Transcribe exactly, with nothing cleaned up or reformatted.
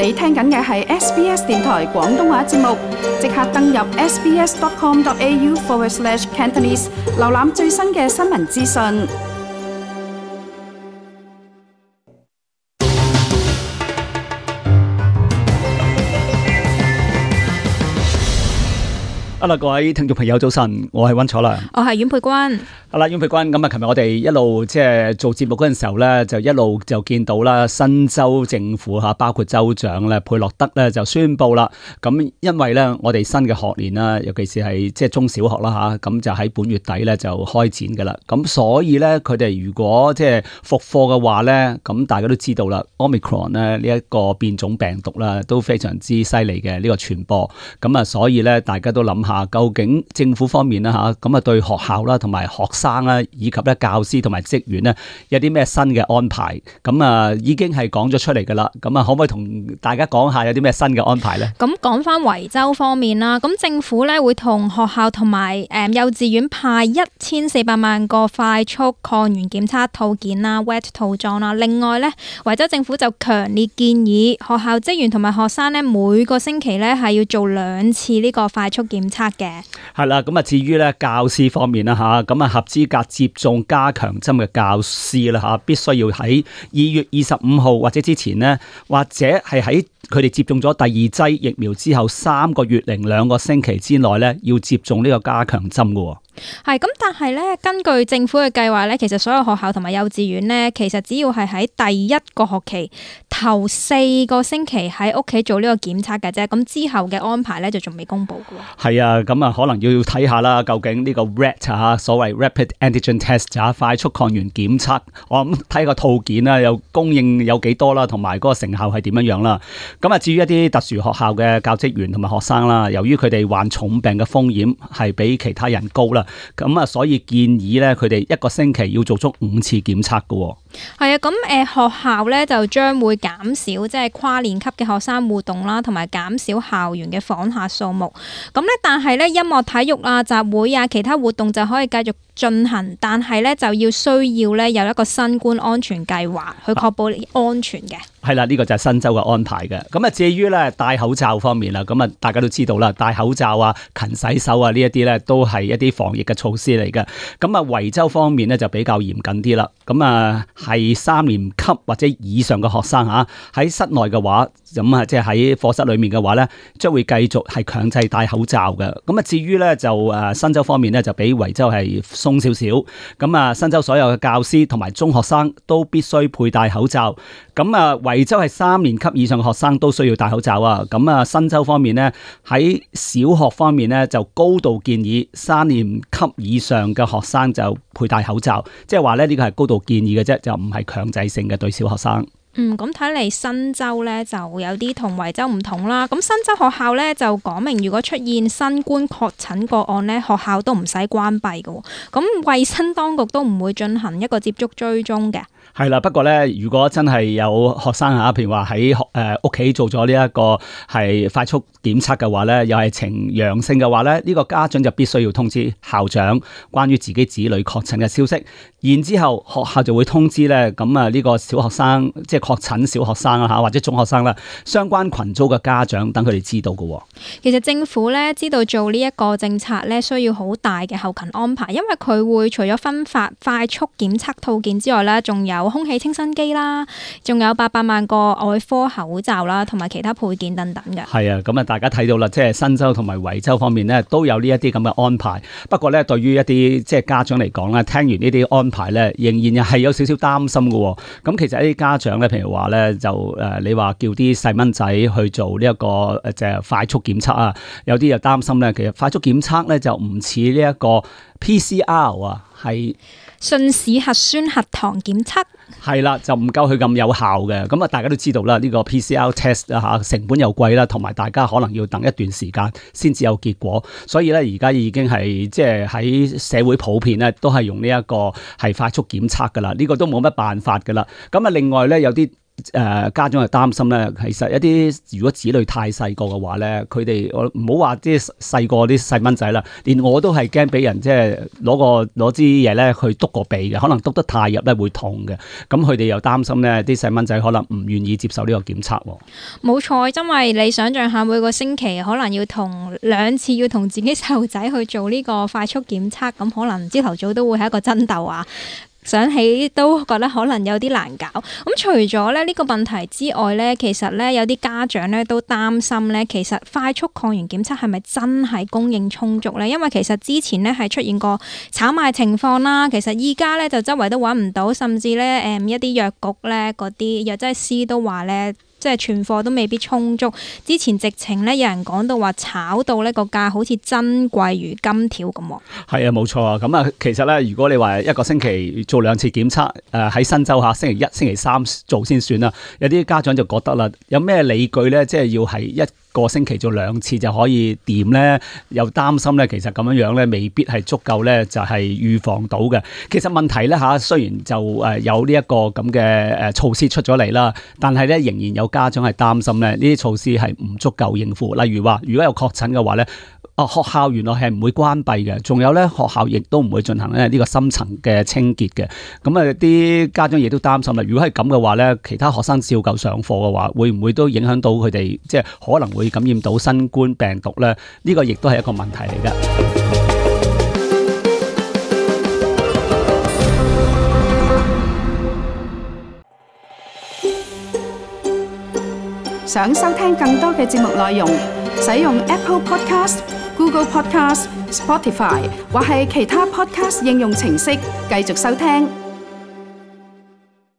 你聽緊嘅係 S B S 電台廣東話節目，即刻登入 sbs.com.au forward slash Cantonese， 瀏覽最新嘅新聞資訊。好啦，各位聽眾朋友早晨，我係溫楚良，我係阮佩君。好啦，阮佩君，咁啊，琴日我哋一路即係做節目嗰陣時候咧，就一路就見到啦，新州政府吓，包括州長咧佩洛德咧就宣布啦。咁因為咧，我哋新嘅學年啦，尤其是係即係中小學啦吓，咁就喺本月底咧就開展噶啦。咁所以咧，佢哋如果即係復課嘅話咧，咁大家都知道啦 ，Omicron 咧呢一個變種病毒啦，都非常之犀利嘅呢個傳播。咁啊，所以咧，大家都諗下，究竟政府方面啦吓，咁啊對學校啦同埋學生啦，以及咧教師同埋職員咧，有啲咩新嘅安排？咁啊，已經係講咗出嚟噶啦。咁啊，可唔可以同大家講下有啲咩新嘅安排咧？咁講翻維州方面啦，咁政府咧會同學校同埋誒幼稚園派一千四百萬個快速抗原檢測套件啦 （wet 套裝）啦。另外咧，維州政府就強烈建議學校職員同埋學生咧，每個星期咧係要做兩次呢個快速檢測嘅。係啦，咁啊，至於咧教師方面啦吓，咁啊合資格接種加強針嘅教師啦吓，必須要喺二月二十五號或者之前呢，或者係喺佢哋接種咗第二劑疫苗之後三個月零兩個星期之內咧，要接種呢個加強針嘅。係咁，但係咧，根據政府嘅計劃咧，其實所有學校同埋幼稚園咧，其實只要係喺第一個學期頭四個星期喺屋企做呢個檢測嘅啫。咁之後嘅安排咧就仲未公布嘅。係啊，咁啊可能要睇下啦，究竟呢個 R A T 啊，所謂 Rapid Antigen Test 啊，快速抗原檢測，我諗睇個套件啦，有供應有幾多啦，同埋嗰個成效係點樣樣啦。咁啊，至於一啲特殊學校嘅教職員同埋學生啦，由於佢哋患重病嘅風險係比其他人高啦。咁啊，所以建議咧，佢哋一個星期要做足五次檢測嘅。係啊，咁誒學校咧就將會減少即係跨年級嘅學生互動啦，同埋減少校園嘅訪客數目。咁咧，但係咧音樂、體育啊、集會啊、其他活動就可以繼續進行，但係咧就要需要咧有一個新冠安全計劃去確保安全嘅。係啦，呢個就係新州嘅安排嘅。咁啊，至於咧戴口罩方面啦，咁啊大家都知道啦，戴口罩啊、勤洗手啊呢一啲咧都係一啲防疫嘅措施嚟嘅。咁啊，維州方面咧就比較嚴謹啲啦。咁啊，係三年級或者以上嘅學生吓喺室內嘅話，咁啊即係喺課室裏面嘅話咧，將會繼續係強制戴口罩嘅。咁啊，至於咧就誒新州方面咧就比維州係鬆少少。咁啊，新州所有嘅教師同埋中學生都必須佩戴口罩。咁啊，維州係三年級以上嘅學生都需要戴口罩啊。咁啊，新州方面咧喺小學方面咧就高度建議三年級以上嘅學生就佩戴口罩，即係話咧呢個係高度建議嘅啫，就唔係強制性嘅對小學生。嗯，咁睇嚟新州咧就有啲同維州唔同啦。咁新州學校咧就講明，如果出現新冠確診個案咧，學校都唔使關閉嘅。咁衛生當局都唔會進行一個接觸追蹤嘅。係啦，不過咧，如果真係有學生吓，譬如話喺學誒屋企做咗呢一個係快速檢測嘅話咧，又係呈陽性嘅話咧，呢個家長就必須要通知校長關於自己子女確診嘅消息，然之後學校就會通知咧，咁啊呢個小學生即係確診小學生啊吓，或者中學生啦，相關群組嘅家長等佢哋知道嘅。其實政府咧知道做呢一個政策咧需要好大嘅後勤安排，因為佢會除咗分發快速檢測套件之外咧，仲有空氣清新機啦，仲有八百萬個外科口罩啦，同埋其他配件等等嘅。係啊，咁啊，大家睇到啦，即係新州同埋維州方面咧，都有呢一啲咁嘅安排。不過咧，對於一啲即係家長嚟講咧，聽完呢啲安排咧，仍然又係有少少擔心嘅。咁其實一啲家長咧，譬如話咧，就誒，你話叫啲細蚊仔去做呢一個誒，即係快速檢測啊，有啲又擔心咧，其實快速檢測咧就唔似呢一個 P C R 啊，係信使核酸核糖檢測。係啦，就唔夠佢咁有效嘅。咁啊，大家都知道啦，呢個 P C R test 啊嚇，成本又貴啦，同埋大家可能要等一段時間先至有結果。所以咧，而家已經係即係喺社會普遍咧，都係用呢一個係快速檢測噶啦。呢個都冇乜辦法噶啦。咁啊，另外咧有啲誒家長係擔心咧，其實一啲如果子女太細個嘅話咧，佢哋我唔好話啲細個啲細蚊仔啦，連我都係驚俾人即係攞個攞支嘢咧去篤個鼻嘅，可能篤得太入咧會痛嘅。咁佢哋又擔心咧，啲細蚊仔可能唔願意接受呢個檢測。冇錯，因為你想象下每個星期可能要同兩次要同自己細路仔去做呢個快速檢測，咁可能朝頭早都會係一個爭鬥啊！想起都覺得可能有啲難搞。咁除咗咧呢個問題之外咧，其實咧有啲家長咧都擔心咧，其實快速抗原檢測係咪真係供應充足咧？因為其實之前咧係出現過炒賣情況啦，其實依家咧就周圍都揾唔到，甚至咧誒一啲藥局咧嗰啲藥劑師都話咧，即係存貨都未必充足。之前直情咧有人講到話炒到呢個價好似珍貴如金條咁。係啊，冇錯啊。咁啊，其實咧，如果你話一個星期做兩次檢測，誒、呃、喺新州下星期一、星期三做先算啦。有啲家長就覺得啦，有咩理據咧？即係要係一個星期做兩次就可以掂咧？又擔心咧，其實咁樣樣咧未必係足夠咧，就係預防到嘅。其實問題咧嚇，雖然就誒有呢一個咁嘅誒措施出咗嚟啦，但係咧仍然有家長係擔心咧，呢啲措施係唔足夠應付。例如話，如果有確診嘅話咧，啊學校原來係唔會關閉嘅，仲有咧學校亦都唔會進行咧呢個深層嘅清潔嘅。咁啊啲家長亦都擔心啦，如果係咁嘅話咧，其他學生照舊上課嘅話，會唔會都影響到佢哋，即係可能會感染到新冠病毒咧？呢個亦都係一個問題嚟㗎。想收聽更多嘅節目內容，使用 Apple Podcast、Google Podcast、Spotify 或係其他 Podcast 應用程式繼續收聽。